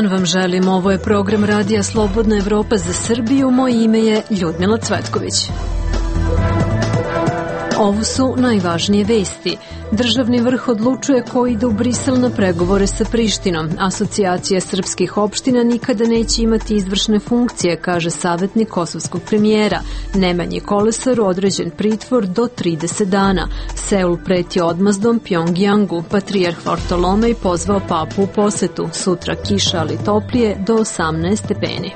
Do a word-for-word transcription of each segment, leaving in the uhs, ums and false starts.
dan vam želim, ovo je program Radija Slobodna Evropa za Srbiju, moje ime je Ljudmila Cvetković. Ovo su najvažnije vesti. Državni vrh odlučuje ko ide u Brisel na pregovore sa Prištinom. Asocijacija srpskih opština nikada neće imati izvršne funkcije, kaže savjetnik kosovskog premijera. Nemanji Kolesaru određen pritvor do trideset dana. Seul preti odmazdom Pjongjangu. Patrijarh Vartolomej pozvao papu u posetu. Sutra kiša, ali toplije, do osamnaest stepeni.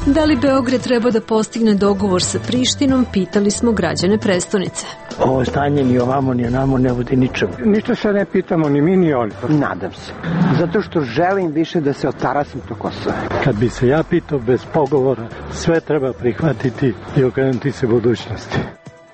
Da li Beograd treba da postigne dogovor sa Prištinom, pitali smo građane prestonice. Ovo stanje ni ovamo ni onamo ne vodi ničemu. Ništa se ne pitamo ni mi ni oni. Nadam se. Zato što želim više da se otarasim to Kosova. Kad bi se ja pitao bez pogovora, sve treba prihvatiti i okrenuti se budućnosti.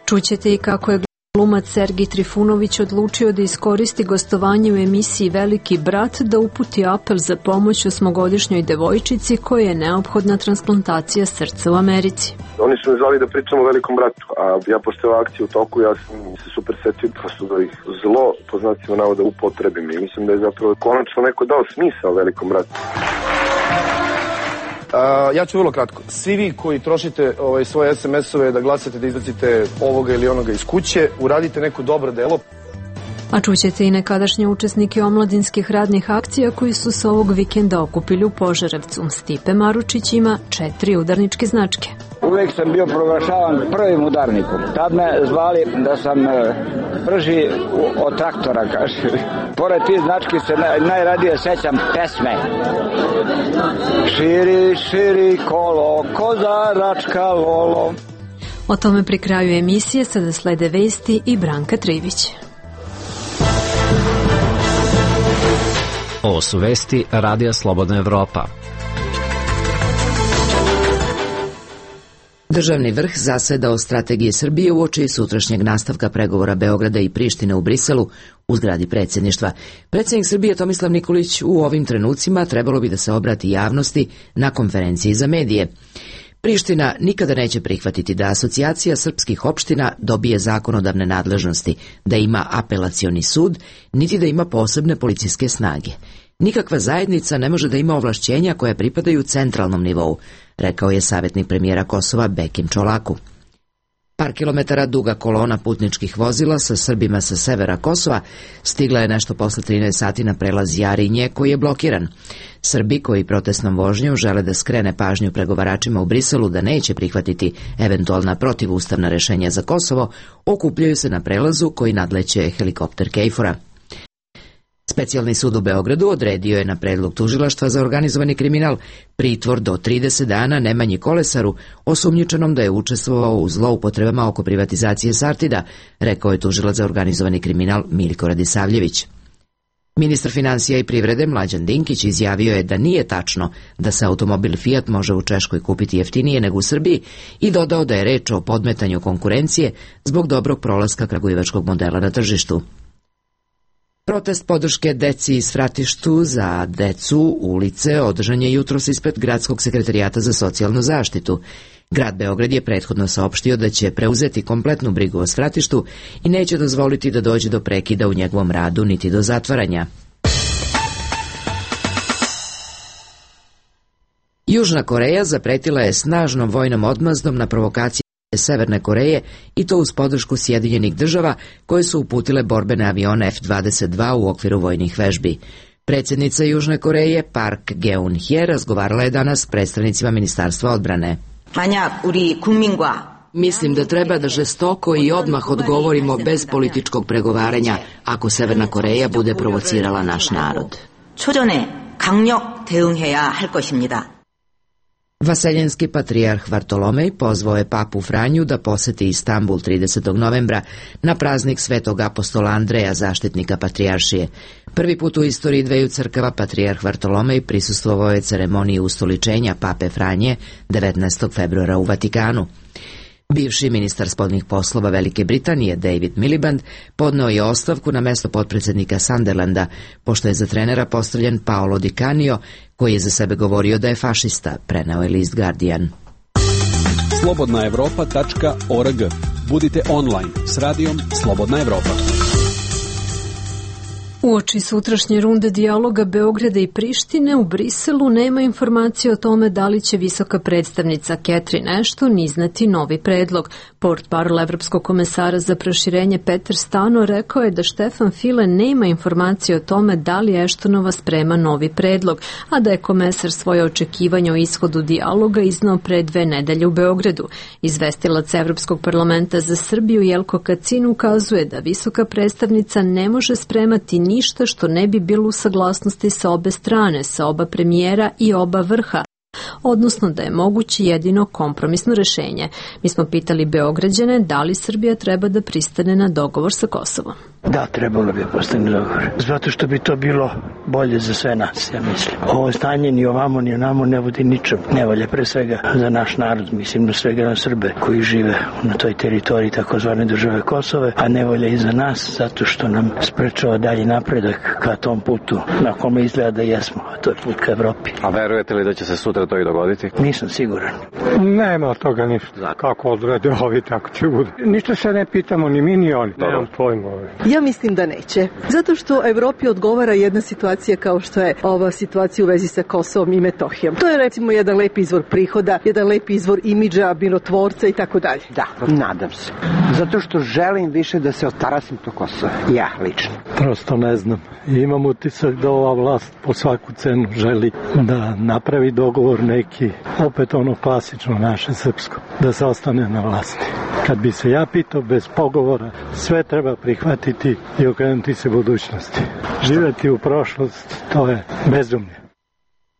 Čućete i kako je glumac Sergij Trifunović odlučio da iskoristi gostovanje u emisiji Veliki brat da uputi apel za pomoć osmogodišnjoj devojčici koja je neophodna transplantacija srca u Americi. Oni su me zvali da pričam o Velikom bratu, a ja pošto je akcija u toku, ja sam se super setio prosto da ih zlo, po znacima navoda, upotrebim i mislim da je zapravo konačno neko dao smisao Velikom bratu. Uh, ja ću vrlo kratko. Svi vi koji trošite ovaj, svoje es em es-ove da glasate da izbacite ovoga ili onoga iz kuće, uradite neko dobro delo. A čućete i nekadašnje učesnike omladinskih radnih akcija koji su se ovog vikenda okupili u Požarevcu. Stipe Maručić ima četiri udarničke značke. Uvijek sam bio proglašavan prvim udarnikom. Tad me zvali da sam prži od traktora, kaže. Pored tih znački se najradije sećam pesme. Širi, širi kolo, kozaračka lolo. O tome pri kraju emisije sada slede vesti i Branka Trivić. Ovo su vesti Radija Slobodna Evropa. Državni vrh zaseda o strategiji Srbije uoči sutrašnjeg nastavka pregovora Beograda i Prištine u Briselu u zgradi predsjedništva. Predsjednik Srbije Tomislav Nikolić u ovim trenucima trebalo bi da se obrati javnosti na konferenciji za medije. Priština nikada neće prihvatiti da Asocijacija srpskih opština dobije zakonodavne nadležnosti, da ima apelacioni sud, niti da ima posebne policijske snage. Nikakva zajednica ne može da ima ovlašćenja koja pripadaju centralnom nivou, rekao je savjetnik premijera Kosova Bekim Čolaku. Par kilometara duga kolona putničkih vozila sa Srbima sa severa Kosova stigla je nešto posle trinaest sati na prelaz Jarinje koji je blokiran. Srbi koji protestnom vožnjom žele da skrene pažnju pregovaračima u Briselu da neće prihvatiti eventualna protivustavna rešenja za Kosovo, okupljaju se na prelazu koji nadleće helikopter Kejfora. Specijalni sud u Beogradu odredio je na predlog tužilaštva za organizovani kriminal pritvor do trideset dana Nemanji Kolesaru, osumnjičenom da je učestvovao u zloupotrebama oko privatizacije Sartida, rekao je tužilac za organizovani kriminal Miljko Radisavljević. Ministar finansija i privrede Mlađan Dinkić izjavio je da nije tačno da se automobil Fiat može u Češkoj kupiti jeftinije nego u Srbiji i dodao da je reč o podmetanju konkurencije zbog dobrog prolaska kragujevačkog modela na tržištu. Protest podrške deci iz Fratištu za decu ulice održan je jutros ispred Gradskog sekretarijata za socijalnu zaštitu. Grad Beograd je prethodno saopštio da će preuzeti kompletnu brigu o Svratištu i neće dozvoliti da dođe do prekida u njegovom radu niti do zatvaranja. Južna Koreja zapretila je snažnom vojnom odmazdom na provokacije Severne Koreje i to uz podršku Sjedinjenih država koje su uputile borbene avione F dvadeset dva u okviru vojnih vežbi. Predsjednica Južne Koreje Park Geun-hye razgovarala je danas s predstavnicima Ministarstva odbrane. Mislim da treba da žestoko i odmah odgovorimo bez političkog pregovaranja ako Severna Koreja bude provocirala naš narod. Vaseljenski patrijarh Vartolomej pozvao je papu Franju da poseti Istanbul tridesetog novembra na praznik Svetog apostola Andreja, zaštitnika patrijaršije. Prvi put u istoriji dveju crkava patrijarh Vartolomej prisustvovao je ceremoniji ustoličenja pape Franje devetnaestog februara u Vatikanu. Bivši ministar spoljnih poslova Velike Britanije David Miliband podneo je ostavku na mesto potpredsjednika Sunderlanda, pošto je za trenera postavljen Paolo Di Canio, koji je za sebe govorio da je fašista, preneo je list Guardian. slobodna evropa tačka org. Budite online s radijom Slobodna Evropa. Uoči sutrašnje runde dijaloga Beograda i Prištine u Briselu nema informacije o tome da li će visoka predstavnica Catherine Ashton izneti novi predlog. Portparol Evropskog komesara za proširenje Peter Stano rekao je da Štefan File nema informacije o tome da li Ashtonova sprema novi predlog, a da je komesar svoje očekivanje o ishodu dijaloga iznao pre dve nedelje u Beogradu. Izvestilac Evropskog parlamenta za Srbiju Jelko Kacin ukazuje da visoka predstavnica ne može spremati ništa što ne bi bilo u saglasnosti sa obe strane, sa oba premijera i oba vrha, odnosno da je moguće jedino kompromisno rešenje. Mi smo pitali Beograđane da li Srbija treba da pristane na dogovor sa Kosovom. Da, trebalo bi postane dogovor. Zato što bi to bilo bolje za sve nas, ja mislim. Ovo stanje ni ovamo ni onamo ne vodi ničem. Ne valja pre svega za naš narod, mislim da svega na Srbe koji žive na toj teritoriji takozvane države Kosove, a ne valja i za nas zato što nam sprečava dalji napredak ka tom putu na kome izgleda da jesmo, a to je put ka Evropi. A verujete li da će se sutra to i dogoditi? Nisam siguran. Nema od toga ništa. Kako odrede ovi, tako će bude. Ništa se ne pitamo ni mi ni oni. Nemam pojma. Ja mislim da neće. Zato što Evropi odgovara jedna situacija kao što je ova situacija u vezi sa Kosovom i Metohijom. To je recimo jedan lep izvor prihoda, jedan lep izvor imidža, mirotvorca i tako dalje. Da, nadam se. Zato što želim više da se otarasim to Kosovo. Ja, lično. Prosto ne znam. Imam utisak da ova vlast po svaku cenu želi da napravi dogovor neki, opet ono klasično naše srpsko, da se ostane na vlasti. Kad bi se ja pitao bez pogovora, sve treba prihvatiti i okrenuti se budućnosti. Živeti u prošlost, to je bezumlje.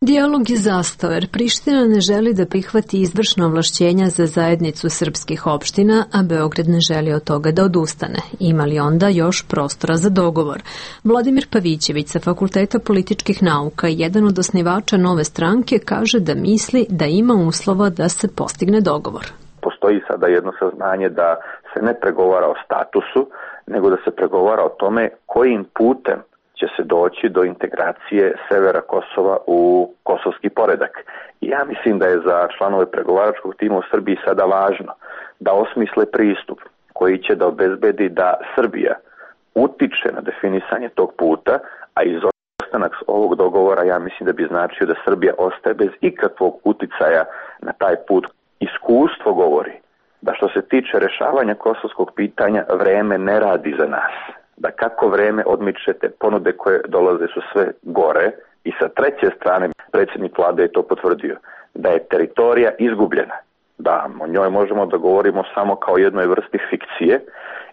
Dijalog je zastao jer Priština ne želi da prihvati izvršna ovlašćenja za zajednicu srpskih opština, a Beograd ne želi od toga da odustane. Ima li onda još prostora za dogovor? Vladimir Pavićević sa Fakulteta političkih nauka, jedan od osnivača Nove stranke, kaže da misli da ima uslova da se postigne dogovor. Postoji sada jedno saznanje da se ne pregovara o statusu, nego da se pregovara o tome kojim putem će se doći do integracije severa Kosova u kosovski poredak. I ja mislim da je za članove pregovaračkog tima u Srbiji sada važno da osmisle pristup koji će da obezbedi da Srbija utiče na definisanje tog puta, a izostanak ovog dogovora ja mislim da bi značio da Srbija ostaje bez ikakvog uticaja na taj put. Iskustvo govori da što se tiče rešavanja kosovskog pitanja vreme ne radi za nas. Da kako vreme odmičete, ponude koje dolaze su sve gore i sa treće strane predsjednik vlade je to potvrdio, da je teritorija izgubljena, da o njoj možemo da govorimo samo kao jednoj vrsti fikcije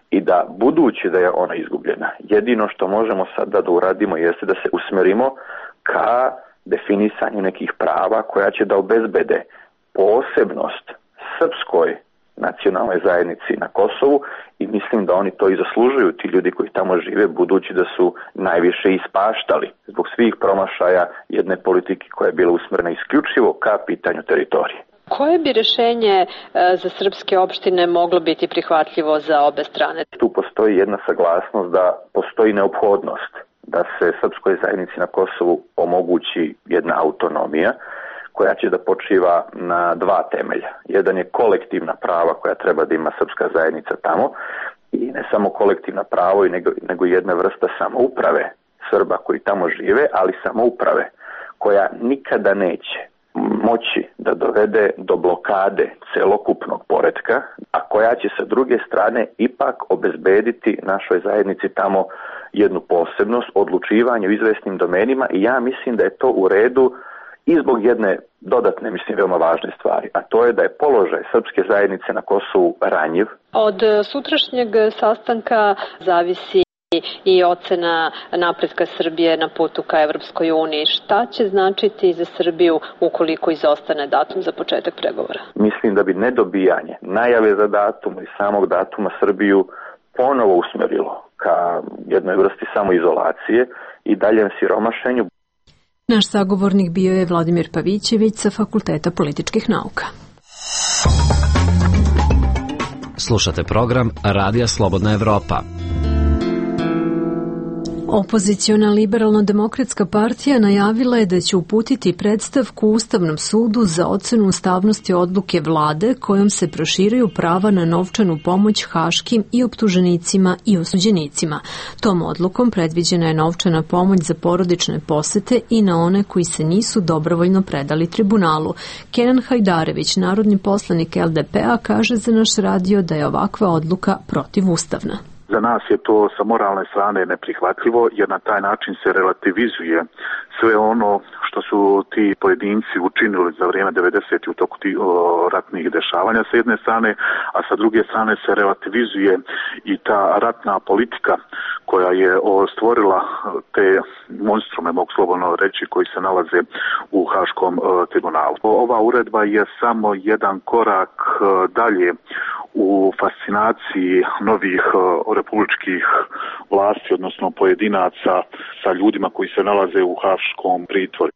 i da budući da je ona izgubljena, jedino što možemo sada da uradimo jeste da se usmerimo ka definisanju nekih prava koja će da obezbede posebnost srpskoj nacionalnoj zajednici na Kosovu i mislim da oni to i zaslužuju, ti ljudi koji tamo žive, budući da su najviše ispaštali zbog svih promašaja jedne politike koja je bila usmjerena isključivo ka pitanju teritorije. Koje bi rešenje za srpske opštine moglo biti prihvatljivo za obe strane? Tu postoji jedna saglasnost da postoji neophodnost da se srpskoj zajednici na Kosovu omogući jedna autonomija koja će da počiva na dva temelja. Jedan je kolektivna prava koja treba da ima srpska zajednica tamo i ne samo kolektivna pravo, nego, nego jedna vrsta samouprave Srba koji tamo žive, ali samouprave koja nikada neće moći da dovede do blokade celokupnog poretka, a koja će sa druge strane ipak obezbediti našoj zajednici tamo jednu posebnost, odlučivanje u izvesnim domenima i ja mislim da je to u redu i zbog jedne dodatne, mislim, veoma važne stvari, a to je da je položaj srpske zajednice na Kosovu ranjiv. Od sutrašnjeg sastanka zavisi i ocena napretka Srbije na putu ka Evropskoj uniji. Šta će značiti za Srbiju ukoliko izostane datum za početak pregovora? Mislim da bi nedobijanje najave za datum i samog datuma Srbiju ponovo usmerilo ka jednoj vrsti samoizolacije i daljem siromašenju. Naš sagovornik bio je Vladimir Pavićević sa Fakulteta političkih nauka. Slušate program Radija Slobodna Evropa. Opoziciona liberalno-demokratska partija najavila je da će uputiti predstavku Ustavnom sudu za ocenu ustavnosti odluke vlade kojom se proširuju prava na novčanu pomoć haškim i optuženicima i osuđenicima. Tom odlukom predviđena je novčana pomoć za porodične posete i na one koji se nisu dobrovoljno predali tribunalu. Kenan Hajdarević, narodni poslanik L D P-a, kaže za naš radio da je ovakva odluka protivustavna. Za nas je to sa moralne strane neprihvatljivo jer na taj način se relativizuje sve ono što su ti pojedinci učinili za vrijeme devedesetih u toku tih ratnih dešavanja sa jedne strane, a sa druge strane se relativizuje i ta ratna politika koja je stvorila te monstrume, mogu slobodno reći, koji se nalaze u Haškom tribunalu. Ova uredba je samo jedan korak dalje u fascinaciji novih republičkih vlasti, odnosno pojedinaca sa ljudima koji se nalaze u haškom pritvoru.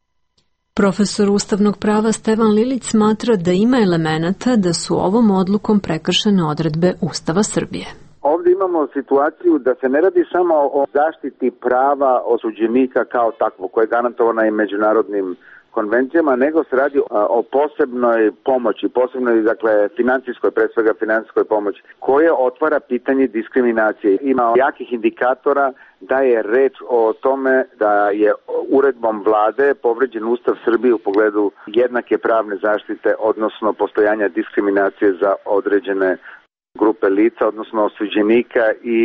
Profesor ustavnog prava Stevan Lilić smatra da ima elemenata da su ovom odlukom prekršene odredbe Ustava Srbije. Ovdje imamo situaciju da se ne radi samo o zaštiti prava osuđenika kao takvo, koje je garantovana i međunarodnim konvencijama, nego se radi o posebnoj pomoći, posebnoj, dakle, financijskoj, pre svega financijskoj pomoći, koje otvara pitanje diskriminacije. Ima jakih indikatora da je reč o tome da je uredbom vlade povređen Ustav Srbije u pogledu jednake pravne zaštite, odnosno postojanja diskriminacije za određene grupe lica, odnosno osuđenika i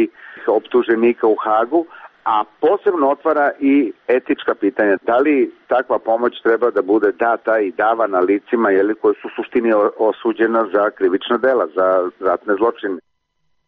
optuženika u Hagu, a posebno otvara i etička pitanja. Da li takva pomoć treba da bude data i davana licima jeli, koji su u suštini osuđena za krivična dela, za ratne zločine?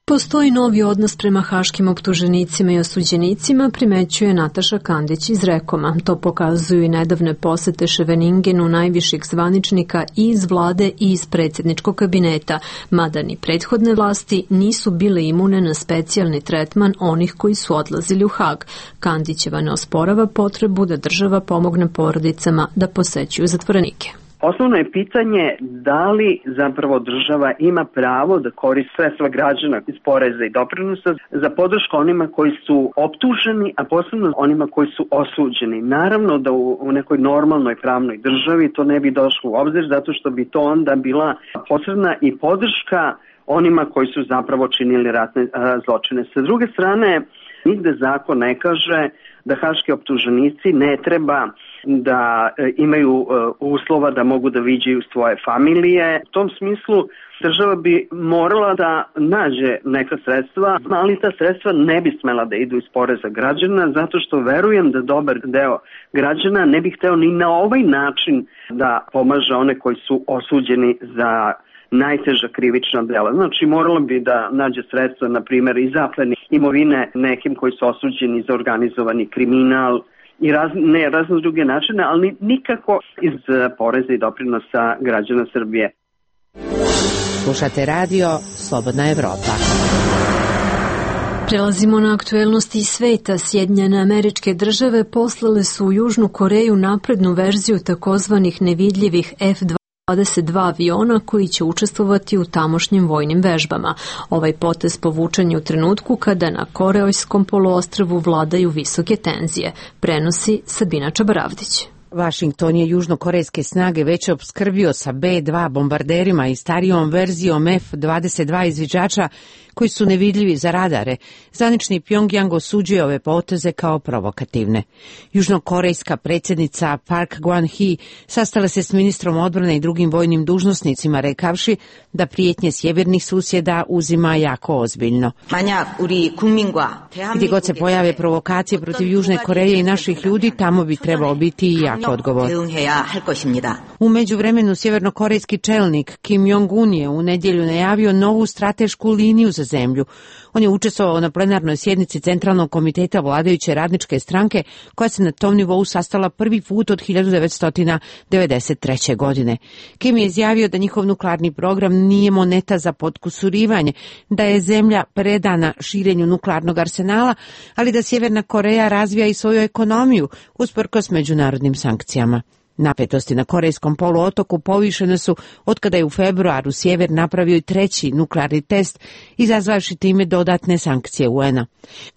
Postoji novi odnos prema haškim optuženicima i osuđenicima, primećuje Nataša Kandić iz Rekoma. To pokazuju i nedavne posete Ševeningenu najviših zvaničnika i iz vlade i iz predsjedničkog kabineta, mada ni prethodne vlasti nisu bile imune na specijalni tretman onih koji su odlazili u Hag. Kandićeva ne osporava potrebu da država pomogne porodicama da posećuju zatvorenike. Osnovno je pitanje da li zapravo država ima pravo da koristi sredstva građana iz poreza i doprinosa za podršku onima koji su optuženi, a posebno onima koji su osuđeni. Naravno da u, u nekoj normalnoj pravnoj državi to ne bi došlo u obzir, zato što bi to onda bila posredna i podrška onima koji su zapravo činili ratne a, zločine. Sa druge strane, nigde zakon ne kaže da haški optuženici ne treba da e, imaju e, uslova da mogu da viđaju svoje familije. U tom smislu država bi morala da nađe neka sredstva, ali ta sredstva ne bi smela da idu iz poreza građana, zato što verujem da dobar deo građana ne bi hteo ni na ovaj način da pomaže one koji su osuđeni za najteža krivična dela. Znači, moralo bi da nađe sredstva, na primjer, i zapleni imovine nekim koji su osuđeni za organizovani kriminal i raz, ne razne druge načine, ali nikako iz poreza i doprinosa građana Srbije. Slušate radio Slobodna Evropa. Prelazimo na aktuelnosti iz sveta. Sjedinjene Američke Države poslale su u Južnu Koreju naprednu verziju takozvanih nevidljivih F dvadeset dva aviona koji će učestvovati u tamošnjim vojnim vežbama. Ovaj potez povučen je u trenutku kada na Koreojskom poluostrvu vladaju visoke tenzije, prenosi Sabina Čabaravdić. Washington je južnokorejske snage već opskrbio sa B dva bombarderima i starijom verzijom F dvadeset dva izviđača koji su nevidljivi za radare. Zvanični Pjongjang osuđuje ove poteze kao provokativne. Južnokorejska predsjednica Park Geun-hye sastala se s ministrom odbrane i drugim vojnim dužnosnicima, rekavši da prijetnje sjevernih susjeda uzima jako ozbiljno. Gdje god se pojave provokacije protiv Južne Koreje i naših ljudi, tamo bi trebao biti i jako odgovor. U međuvremenu sjevernokorejski čelnik Kim Jong-un je u nedjelju najavio novu stratešku liniju za zemlju. On je učestvovao na plenarnoj sjednici Centralnog komiteta vladajuće radničke stranke, koja se na tom nivou sastala prvi put od hiljadu devetsto devedeset treće. godine. Kim je izjavio da njihov nuklearni program nije moneta za potkusurivanje, da je zemlja predana širenju nuklearnog arsenala, ali da Sjeverna Koreja razvija i svoju ekonomiju usprkos međunarodnim sankcijama. Napetosti na Korejskom poluotoku povišene su otkada je u februaru sjever napravio i treći nuklearni test, izazvavši time dodatne sankcije U N-a.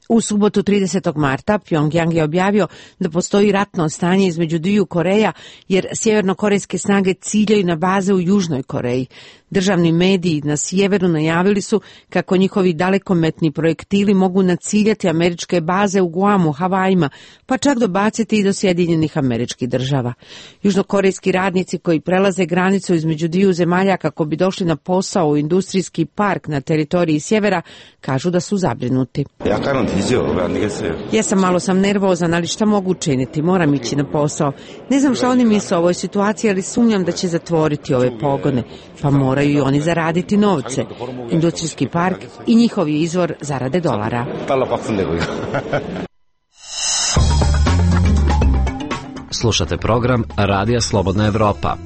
U subotu tridesetog marta Pjongjang je objavio da postoji ratno stanje između dviju Koreja jer sjevernokorejske snage ciljaju na baze u Južnoj Koreji. Državni mediji na sjeveru najavili su kako njihovi dalekometni projektili mogu naciljati američke baze u Guamu, Havajima, pa čak dobaciti i do Sjedinjenih Američkih Država. Južnokorejski radnici koji prelaze granicu između dviju zemalja kako bi došli na posao u industrijski park na teritoriji sjevera kažu da su zabrinuti. Ja sam malo sam nervozan, ali šta mogu učiniti? Moram ići na posao. Ne znam šta oni misle o ovoj situaciji, ali sumnjam da će zatvoriti ove pogone, pa moraju i oni zaraditi novce. Industrijski park i njihov je izvor zarade dolara. Slušate program Radija Slobodna Evropa.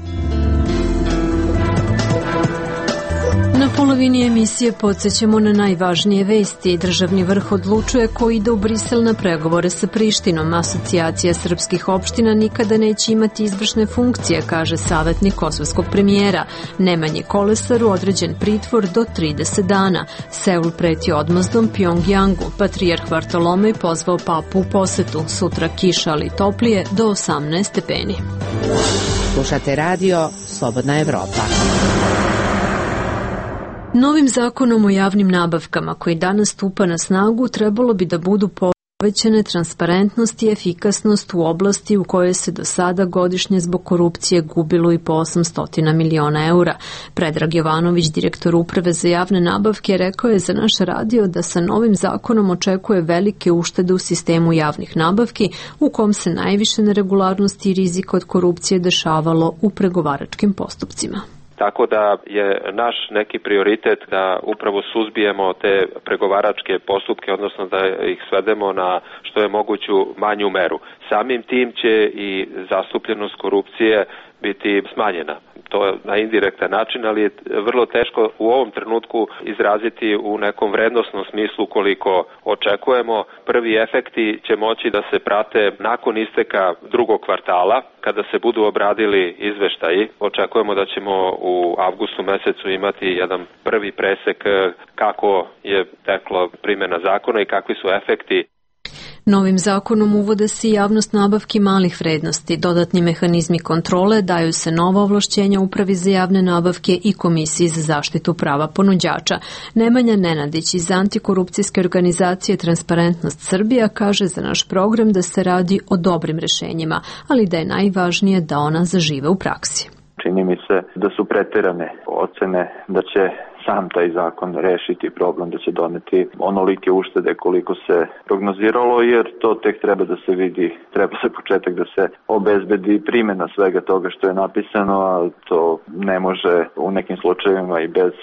Na polovini emisije podsjećamo na najvažnije vesti. Državni vrh odlučuje ko ide u Brisel na pregovore sa Prištinom. Asocijacija srpskih opština nikada neće imati izvršne funkcije, kaže savjetnik kosovskog premijera. Nemanji Kolesaru određen pritvor do trideset dana. Seul preti odmazdom Pjongjangu. Patrijarh Vartolomej pozvao papu u posetu. Sutra kiša, ali toplije do osamnaest stepeni. Slušate radio Slobodna Evropa. Novim zakonom o javnim nabavkama koji danas stupa na snagu trebalo bi da budu povećane transparentnost i efikasnost u oblasti u kojoj se do sada godišnje zbog korupcije gubilo i po osamsto miliona eura. Predrag Jovanović, direktor Uprave za javne nabavke, rekao je za naš radio da sa novim zakonom očekuje velike uštede u sistemu javnih nabavki u kom se najviše neregularnosti i rizika od korupcije dešavalo u pregovaračkim postupcima. Tako da je naš neki prioritet da upravo suzbijemo te pregovaračke postupke, odnosno da ih svedemo na što je moguću manju meru. Samim tim će i zastupljenost korupcije biti smanjena. To je na indirektan način, ali je vrlo teško u ovom trenutku izraziti u nekom vrednosnom smislu koliko očekujemo. Prvi efekti će moći da se prate nakon isteka drugog kvartala, kada se budu obradili izveštaji. Očekujemo da ćemo u avgustu mesecu imati jedan prvi presek kako je teklo primjena zakona i kakvi su efekti. Novim zakonom uvode se javnost nabavki malih vrednosti, dodatni mehanizmi kontrole, daju se nova ovlašćenja Upravi za javne nabavke i Komisiji za zaštitu prava ponuđača. Nemanja Nenadić iz antikorupcijske organizacije Transparentnost Srbija kaže za naš program da se radi o dobrim rešenjima, ali da je najvažnije da ona zažive u praksi. Čini mi se da su preterane ocene da će sam taj zakon rešiti problem, da će doneti onolike uštede koliko se prognoziralo, jer to tek treba da se vidi, treba se početak da se obezbedi primjena svega toga što je napisano, a to ne može u nekim slučajevima i bez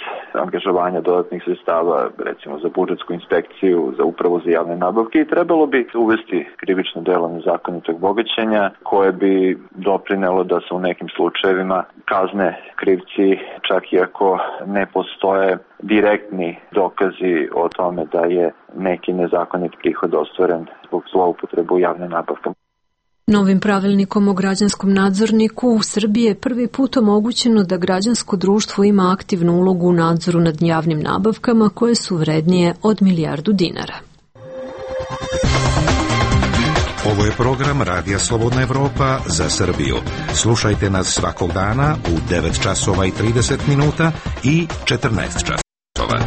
angažovanja dodatnih sredstava, recimo za budžetsku inspekciju, za upravu za javne nabavke, i trebalo bi uvesti krivično delo nezakonitog bogaćenja koje bi doprinelo da se u nekim slučajevima kazne krivci, čak i ako ne postoje direktni dokazi o tome da je neki nezakonit prihod ostvaren zbog zloupotrebe u javne nabavke. Novim pravilnikom o građanskom nadzorniku u Srbiji je prvi put omogućeno da građansko društvo ima aktivnu ulogu u nadzoru nad javnim nabavkama koje su vrednije od milijardu dinara. Ovo je program Radija Slobodna Evropa za Srbiju. Slušajte nas svakog dana u devet časova i trideset minuta i četrnaest časova.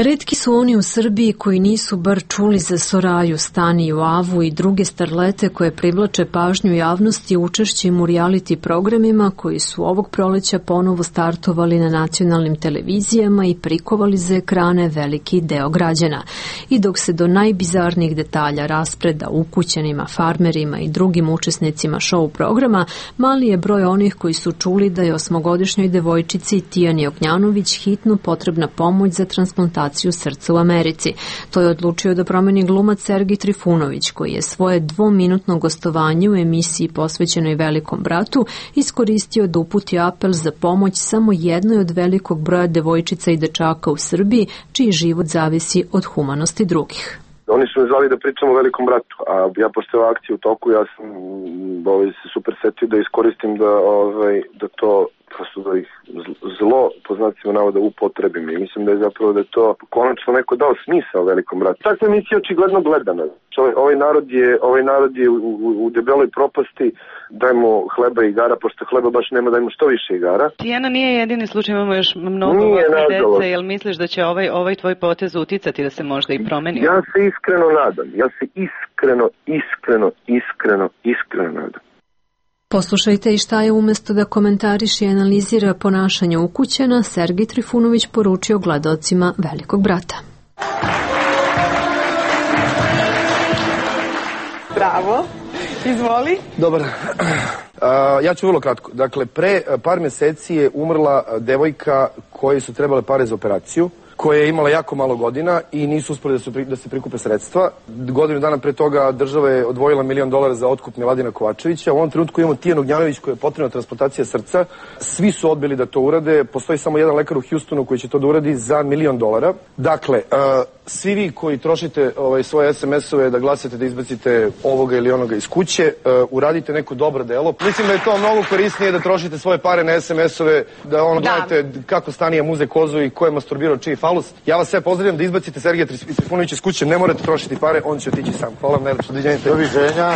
Retki su oni u Srbiji koji nisu bar čuli za Soraju, Staniju, Avu i druge starlete koje privlače pažnju javnosti učešćem u reality programima koji su ovog proleća ponovo startovali na nacionalnim televizijama i prikovali za ekrane veliki deo građana. I dok se do najbizarnijih detalja raspreda ukućanima, farmerima i drugim učesnicima show programa, mali je broj onih koji su čuli da je osmogodišnjoj devojčici Tijani Ognjanović hitno potrebna pomoć za transplantaciju srca u Americi. To je odlučio da promeni glumac Sergij Trifunović, koji je svoje dvominutno gostovanje u emisiji posvećenoj Velikom bratu iskoristio da uputi apel za pomoć samo jednoj od velikog broja devojčica i dečaka u Srbiji, čiji život zavisi od humanosti drugih. Oni su me zvali da pričam o Velikom bratu, a ja pošto je akcija u toku, ja sam ovaj, se super setio da iskoristim da, ovaj, da to prosto da ih zlo, po znacima navoda, upotrebim. I mislim da je zapravo da je to konačno neko dao smisao Velikom bratu. Takva emisija očigledno gledana. Ovaj, ovaj narod je, ovaj narod je u, u, u debeloj propasti, dajmo hleba i igara, pošto hleba baš nema, dajmo što više igara. Tijana nije jedini slučaj, imamo još mnogo ovakve dece, jel misliš da će ovaj, ovaj tvoj potez uticati da se možda i promeni? Ja se iskreno nadam, ja se iskreno, iskreno, iskreno, iskreno nadam. Poslušajte i šta je umesto da komentariše i analizira ponašanje ukućana, Sergej Trifunović poručio gledaocima Velikog brata. Bravo, izvoli. Dobar. Uh, ja ću vrlo kratko. Dakle, pre par meseci je umrla devojka koje su trebale pare za operaciju, koja je imala jako malo godina i nisu uspeli da, su, da se prikupe sredstva. Godinu dana pre toga država je odvojila milion dolara za otkup Miladina Kovačevića. U ovom trenutku imamo Tijanu Ognjanović koja je potrebna transplantacija srca. Svi su odbili da to urade. Postoji samo jedan lekar u Houstonu koji će to da uradi za milion dolara. Dakle, uh, svi vi koji trošite ovaj, svoje es em es-ove da glasate da izbacite ovoga ili onoga iz kuće, uh, uradite neko dobro delo. Mislim da je to mnogo korisnije da trošite svoje pare na es em es-ove, da ono da. gledate kako Stanija muze kozu i ko je masturbirao čiji falus. Ja vas sve pozdravljam da izbacite Sergeja Trifunovića iz kuće, ne morate trošiti pare, on će otići sam. Hvala vam najlepše, doviđenja.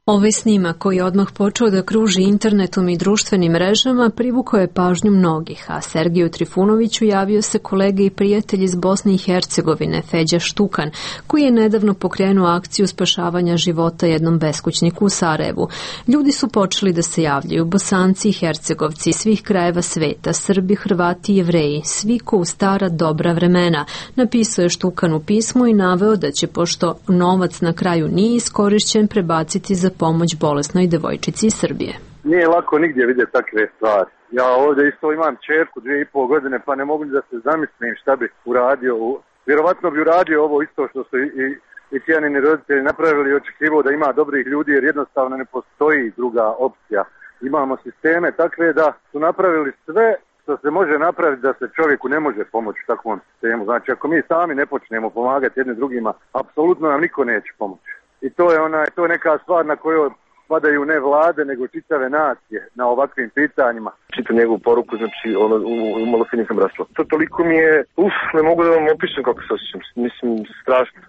Ovaj snimak koji je odmah počeo da kruži internetom i društvenim mrežama privukao je pažnju mnogih, a Sergeju Trifunoviću javio se kolega i prijatelj iz Bosne i Hercegovine, Feđa Štukan, koji je nedavno pokrenuo akciju spašavanja života jednom beskućniku u Sarajevu. Ljudi su počeli da se javljaju, Bosanci i Hercegovci iz svih krajeva sveta, Srbi, Hrvati i Jevreji, svi ko u stara dobra vremena. Napisao je Štukan u pismu i naveo da će, pošto novac na kraju nije iskorišćen, prebaciti za pomoć bolesnoj devojčici iz Srbije. Nije lako nigdje vidjeti takve stvari. Ja ovdje isto imam čerku dvije i pol godine, pa ne mogu da se zamislim šta bi uradio. Vjerovatno bi uradio ovo isto što su i, i, i tijanini roditelji napravili i očekivao da ima dobrih ljudi, jer jednostavno ne postoji druga opcija. Imamo sisteme takve da su napravili sve što se može napraviti da se čovjeku ne može pomoći u takvom sistemu. Znači, ako mi sami ne počnemo pomagati jednim drugima, apsolutno nam niko neće pomoći. I to je ona, to je neka stvar na kojoj padaju ne vlade, nego čitave nacije na ovakvim pitanjima. Čitam njegovu poruku, znači ono, umalo se nisam rasla. To toliko mi je, uf, ne mogu da vam opišem kako se osjećam, mislim, strašno.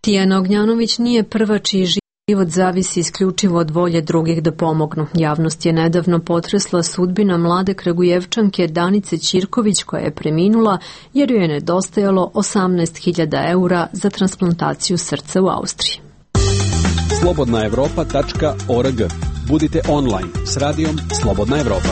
Tijana Ognjanović nije prva čiji život zavisi isključivo od volje drugih da pomognu. Javnost je nedavno potresla sudbina mlade Kragujevčanke Danice Ćirković koja je preminula jer joj je nedostajalo osamnaest hiljada eura za transplantaciju srca u Austriji. slobodna evropa tačka org. Budite online s radijom Slobodna Evropa.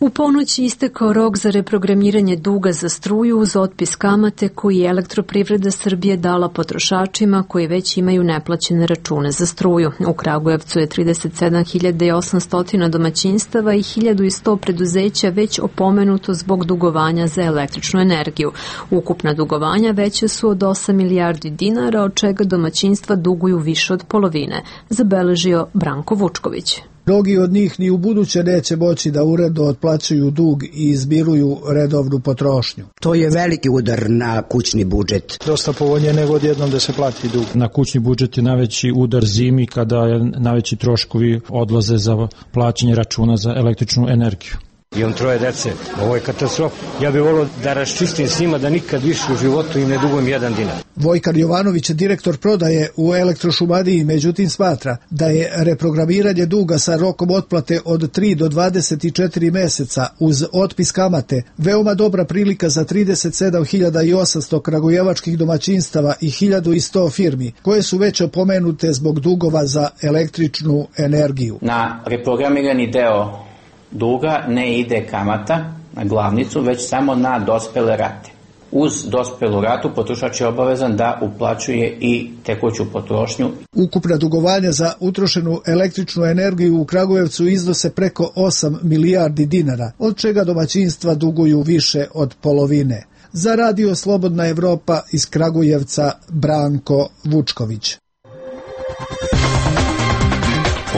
U ponoći istekao rok za reprogramiranje duga za struju uz otpis kamate koji je Elektroprivreda Srbije dala potrošačima koji već imaju neplaćene račune za struju. U Kragujevcu je trideset sedam hiljada osamsto domaćinstava i hiljadu sto preduzeća već opomenuto zbog dugovanja za električnu energiju. Ukupna dugovanja veća su od osam milijardi dinara, od čega domaćinstva duguju više od polovine, zabeležio Branko Vučković. Mnogi od njih ni u buduće neće moći da uredno otplaćuju dug i izmiruju redovnu potrošnju. To je veliki udar na kućni budžet. Dosta povoljnije nego odjednom da se plati dug. Na kućni budžet je najveći udar zimi kada je najveći troškovi odlaze za plaćanje računa za električnu energiju. Imam troje dece, ovo je katastrofa. Ja bih volio da raščistim s njima da nikad više u životu im ne dugujem jedan dinar. Vojkan Jovanović, direktor prodaje u Elektrošumadiji, međutim smatra da je reprogramiranje duga sa rokom otplate od tri do dvadeset četiri meseca uz otpis kamate veoma dobra prilika za trideset sedam hiljada osamsto kragujevačkih domaćinstava i hiljadu sto firmi koje su već opomenute zbog dugova za električnu energiju. Na reprogramirani deo duga ne ide kamata na glavnicu, već samo na dospele rate. Uz dospelu ratu potrošač je obavezan da uplaćuje i tekuću potrošnju. Ukupna dugovanja za utrošenu električnu energiju u Kragujevcu iznose preko osam milijardi dinara, od čega domaćinstva duguju više od polovine. Za Radio Slobodna Evropa iz Kragujevca Branko Vučković.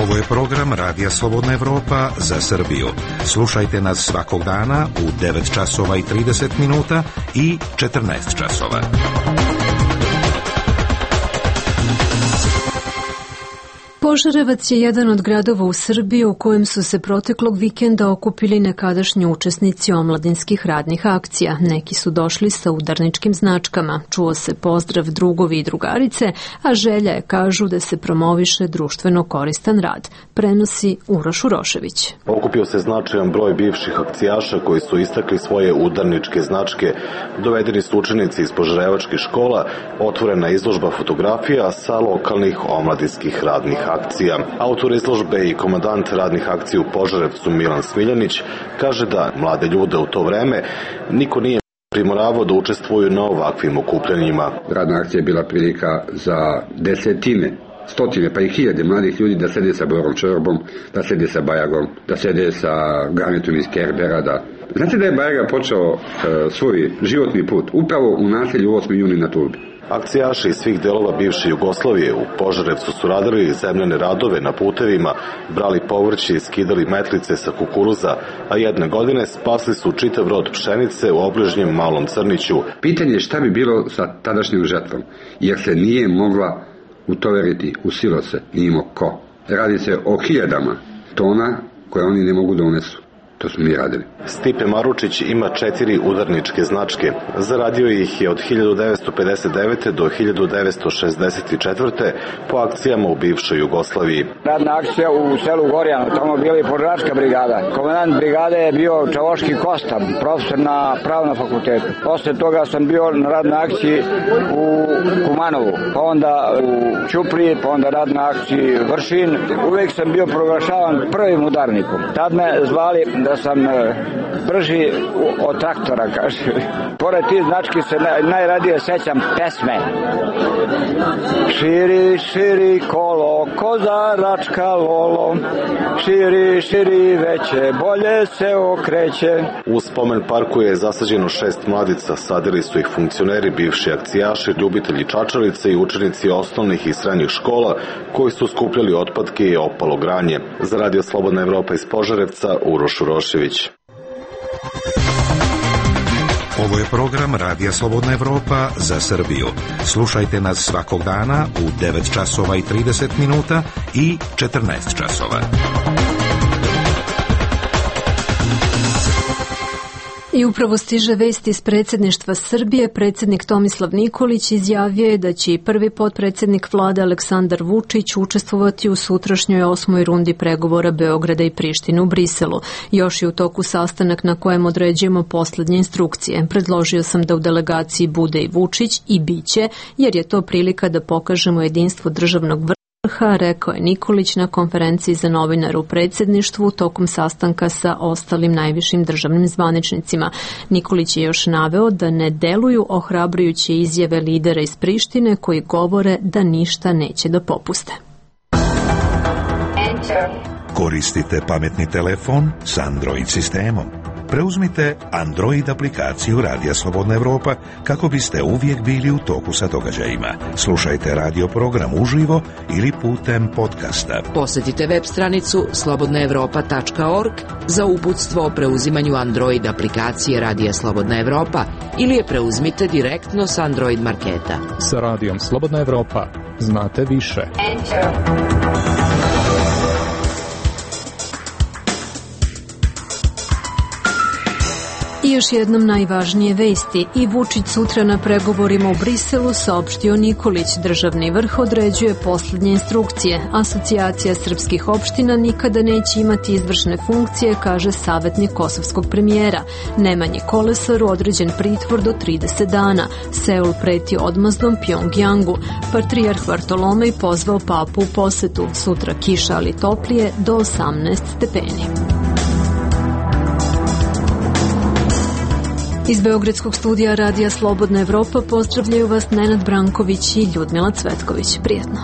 Ovo je program Radija Slobodna Evropa za Srbiju. Slušajte nas svakog dana u devet časova i trideset minuta i četrnaest časova. Požarevac je jedan od gradova u Srbiji u kojem su se proteklog vikenda okupili nekadašnji učesnici omladinskih radnih akcija. Neki su došli sa udarničkim značkama. Čuo se pozdrav drugovi i drugarice, a želja je, kažu, da se promoviše društveno koristan rad. Prenosi Uroš Urošević. Okupio se značajan broj bivših akcijaša koji su istakli svoje udarničke značke. Dovedeni su učenici iz požarevačkih škola, otvorena izložba fotografija sa lokalnih omladinskih radnih akcija. Autor izložbe i komandant radnih akcija u Požarevcu Milan Smiljanić kaže da mlade ljude u to vreme niko nije primoravao da učestvuju na ovakvim okupljanjima. Radna akcija je bila prilika za desetine, stotine pa i hiljade mladih ljudi da sede sa Borom Čorbom, da sede sa Bajagom, da sede sa Garnetom iz Kerbera. Da... Znate da je Bajaga počeo uh, svoj životni put upravo u naselju osmi juni na Turbi. Akcijaši iz svih delova bivše Jugoslavije u Požarevcu su radili zemljane radove na putevima, brali povrće i skidali metlice sa kukuruza, a jedne godine spasli su čitav rod pšenice u obližnjem Malom Crniću. Pitanje je šta bi bilo sa tadašnjom žetvom, jer se nije mogla utoveriti u silose, nije imao ko. Radi se o hiljadama tona koje oni ne mogu da unesu. To smo mi radili. Stipe Maručić ima četiri udarničke značke. Zaradio ih je od hiljadu devetsto pedeset devete do hiljadu devetsto šezdeset četvrte po akcijama u bivšoj Jugoslaviji. Radna akcija u selu Gorjano, tamo bila i požaračka brigada. Komandant brigade je bio Čavoški Kosta, profesor na pravnom fakultetu. Posle toga sam bio na radnoj akciji u Kumanovu, pa onda u Ćupriji, pa onda radna akciji Vršin. Uvek sam bio proglašavan prvim udarnikom. Tad me zvali da sam brži od traktora, kaže. Pored tih znački se najradije sećam pesme. Širi, širi kolo, kozaračka lolo, širi, širi veće, bolje se okreće. U spomen parku je zasađeno šest mladica, sadili su ih funkcioneri, bivši akcijaši, ljubitelji čačalice i učenici osnovnih i srednjih škola koji su skupljali otpadke i opalo granje. Za Radio Slobodna Evropa iz Požarevca, Uroš Urošević. Ovo je program Radija Slobodna Evropa za Srbiju. Slušajte nas svakog dana u devet časova i trideset minuta i četrnaest časova. I upravo stiže vest iz predsjedništva Srbije. Predsjednik Tomislav Nikolić izjavio je da će i prvi potpredsjednik vlade Aleksandar Vučić učestvovati u sutrašnjoj osmoj rundi pregovora Beograda i Prištine u Briselu. Još je u toku sastanak na kojem određujemo poslednje instrukcije. Predložio sam da u delegaciji bude i Vučić i biće, jer je to prilika da pokažemo jedinstvo državnog vrha, rekao je Nikolić na konferenciji za novinare u predsjedništvu tokom sastanka sa ostalim najvišim državnim zvaničnicima. Nikolić je još naveo da ne deluju ohrabrujuće izjave lidera iz Prištine koji govore da ništa neće da popuste. Koristite pametni telefon s Android sistemom. Preuzmite Android aplikaciju Radija Slobodna Evropa kako biste uvijek bili u toku sa događajima. Slušajte radio program uživo ili putem podcasta. Posjetite web stranicu slobodna evropa tačka org za uputstvo o preuzimanju Android aplikacije Radija Slobodna Evropa ili je preuzmite direktno s Android marketa. Sa Radijom Slobodna Evropa znate više. I još jednom najvažnije vesti. I Vučić sutra na pregovorima u Briselu, saopštio Nikolić. Državni vrh određuje poslednje instrukcije. Asocijacija srpskih opština nikada neće imati izvršne funkcije, kaže savjetnik kosovskog premijera. Nemanji Kolesaru određen pritvor do trideset dana. Seul preti odmazdom Pjongjangu. Patrijarh Vartolomej pozvao papu u posetu. Sutra kiša, ali toplije, do osamnaest stepeni. Iz Beogradskog studija Radija Slobodna Evropa pozdravljaju vas Nenad Branković i Ljudmila Cvetković. Prijetno.